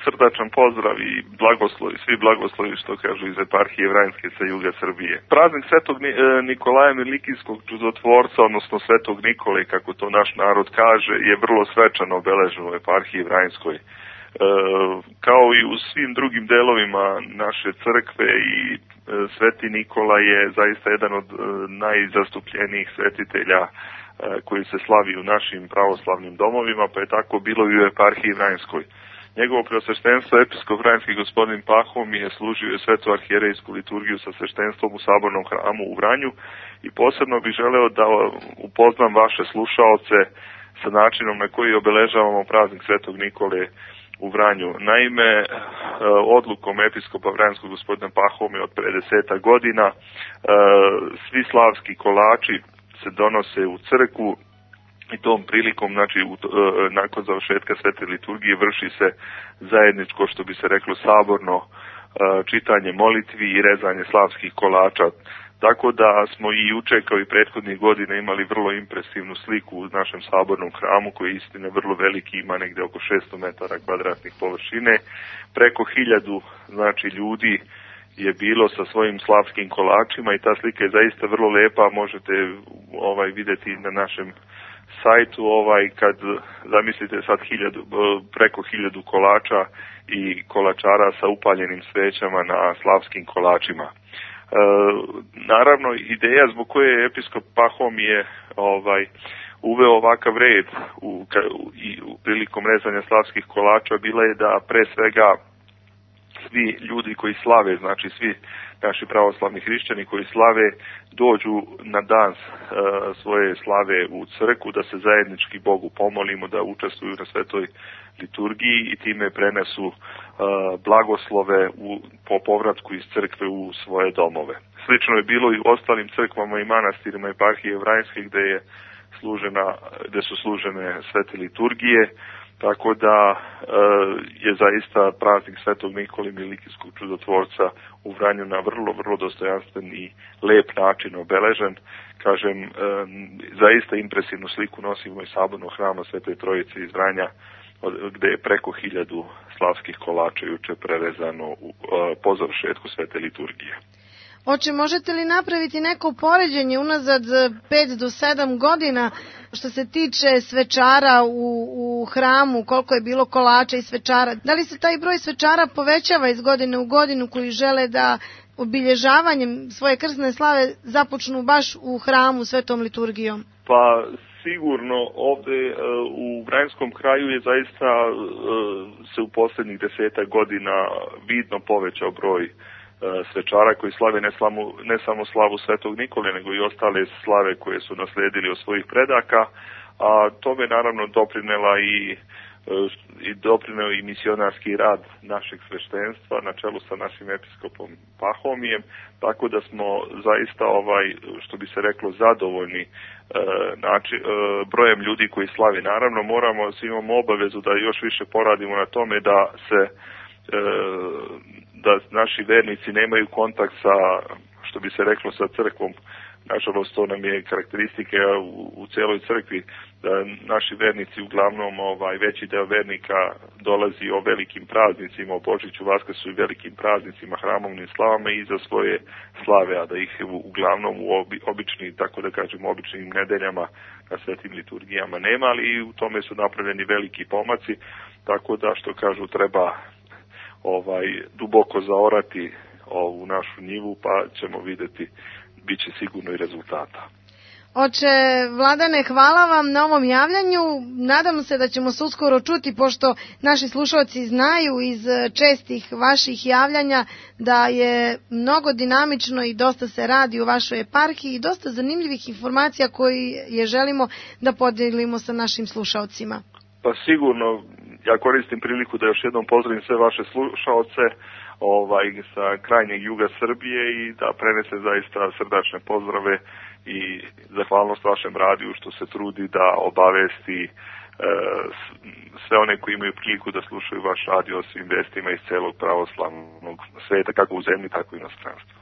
srdačan pozdrav i blagoslovi, svi blagoslovi što kažu iz eparhije Vranjske sa juga Srbije. Praznik Svetog Nikolaja Milikijskog čudotvorca, odnosno Svetog Nikole, kako to naš narod kaže, je vrlo svečano obeležen u eparhiji Vranjskoj. Kao i u svim drugim delovima naše crkve i Sveti Nikola je zaista jedan od najzastupljenijih svetitelja koji se slavi u našim pravoslavnim domovima, pa je tako bilo i u eparhiji Vranjskoj. Njegovo preosveštenstvo episkop Vranjski gospodin Pahomije je služio svetu arhijerejsku liturgiju sa sveštenstvom u Sabornom hramu u Vranju i posebno bih želeo da upoznam vaše slušaoce sa načinom na koji obeležavamo praznik Svetog Nikole u Vranju. Naime, odlukom episkopa Vranjskog gospodina Pahomija od pre 10 godina svi slavski kolači se donose u crkvu i tom prilikom, znači nakon završetka svete liturgije vrši se zajedničko, što bi se reklo, saborno čitanje molitvi i rezanje slavskih kolača. Tako da smo i juče kao i prethodnih godina imali vrlo impresivnu sliku u našem sabornom hramu koji je istina vrlo veliki, ima negde oko 600 metara kvadratnih površine. Preko 1000 znači ljudi je bilo sa svojim slavskim kolačima i ta slika je zaista vrlo lepa, možete videti na našem sajtu, kad zamislite sad preko 1000 kolača i kolačara sa upaljenim svećama na slavskim kolačima. Naravno, ideja zbog koje je episkop Pahomije uveo ovakav red u prilikom rezanja slavskih kolača bila je da pre svega svi ljudi koji slave, znači svi naši pravoslavni hrišćani koji slave, dođu na dan svoje slave u crkvu, da se zajednički Bogu pomolimo, da učestvuju na svetoj liturgiji i time prenesu blagoslove po povratku iz crkve u svoje domove. Slično je bilo i u ostalim crkvama i manastirima eparhije Vranjske gde su služene svete liturgije, tako da je zaista praznik Svetog Nikole Milikijskog čudotvorca u Vranju na vrlo, vrlo dostojanstven i lep način obeležen. Kažem, zaista impresivnu sliku nosimo iz sabornog hrama Svete Trojice iz Vranja, gde je preko 1000 slavskih kolača juče prerezano po završetku svete liturgije. Oče, možete li napraviti neko poređenje unazad 5 do 7 godina što se tiče svečara u hramu, koliko je bilo kolača i svečara? Da li se taj broj svečara povećava iz godine u godinu koji žele da obilježavanjem svoje krsne slave započnu baš u hramu svetom liturgijom? Pa sigurno ovde u Vranjskom kraju je zaista se u posljednjih 10 godina vidno povećao broj svečara koji slave ne samo slavu Svetog Nikole, nego i ostale slave koje su nasledili od svojih predaka, a tome naravno doprineo i misionarski rad našeg sveštenstva na čelu sa našim episkopom Pahomijem, tako da smo zaista što bi se reklo zadovoljni brojem ljudi koji slavi. Naravno imamo obavezu da još više poradimo na tome da naši vernici nemaju kontakt sa, što bi se reklo, sa crkvom. Nažalost, to nam je karakteristike u celoj crkvi, da naši vernici uglavnom, veći deo vernika dolazi o velikim praznicima, o Božiću, Vaskrsu i velikim praznicima, hramovnim slavama i za svoje slave, a da ih uglavnom u običnim nedeljama na svetim liturgijama nema, ali i u tome su napravljeni veliki pomaci, tako da, što kažu, treba duboko zaorati ovu našu njivu, pa ćemo videti, bit će sigurno i rezultata. Oče Vladane, hvala vam na ovom javljanju. Nadam se da ćemo se uskoro čuti, pošto naši slušalci znaju iz čestih vaših javljanja da je mnogo dinamično i dosta se radi u vašoj eparhiji i dosta zanimljivih informacija koje želimo da podelimo sa našim slušalcima. Pa sigurno, ja koristim priliku da još jednom pozdravim sve vaše slušaoce sa krajnjeg juga Srbije i da prenese zaista srdačne pozdrave i zahvalnost vašem radiju što se trudi da obavesti sve one koji imaju priliku da slušaju vaš radio o svim vestima iz celog pravoslavnog sveta, kako u zemlji, tako i u inostranstvu.